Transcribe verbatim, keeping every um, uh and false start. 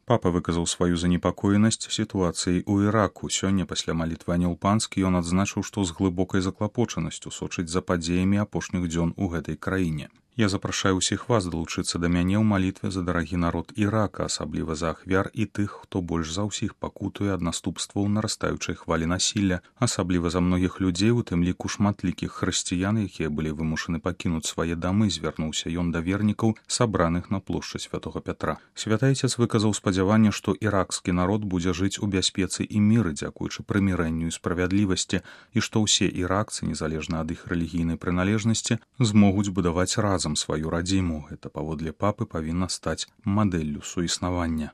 Папа выказаў сваю занепакоенасць сітуацыяй у Іраку. Сёння пасля малітвы анёл панскі ён адзначыў, што з глыбокай заклапочанасцю сочыць за падзеямі апошніх дзён у гэтай краіне. Я запрашаю ўсіх вас далучыцца да мяне ў малітве за дарагі народ Ірака, асабліва за ахвяр і тых, хто больш за ўсіх пакутуе ад наступстваў нарастаючай хвалі насілля, асабліва за многіх людзей, у тым ліку шматлікіх хрысціян, якія былі вымушаны пакінуць свае дамы, звярнуўся ён да вернікаў, сабраных на плошчы Святога Пятра. Святы Айцец выказаў спадзяванне, што іракскі народ будзе жыць у бяспецы і міры, дзякуючы прымірэнню і справядлівасці, і што ўсе іракцы, незалежна ад іх рэлігійнай прыналежнасці, змогуць будаваць разам сваю радзіму. Гэта, паводле папы, павінна стаць мадэллю суіснавання.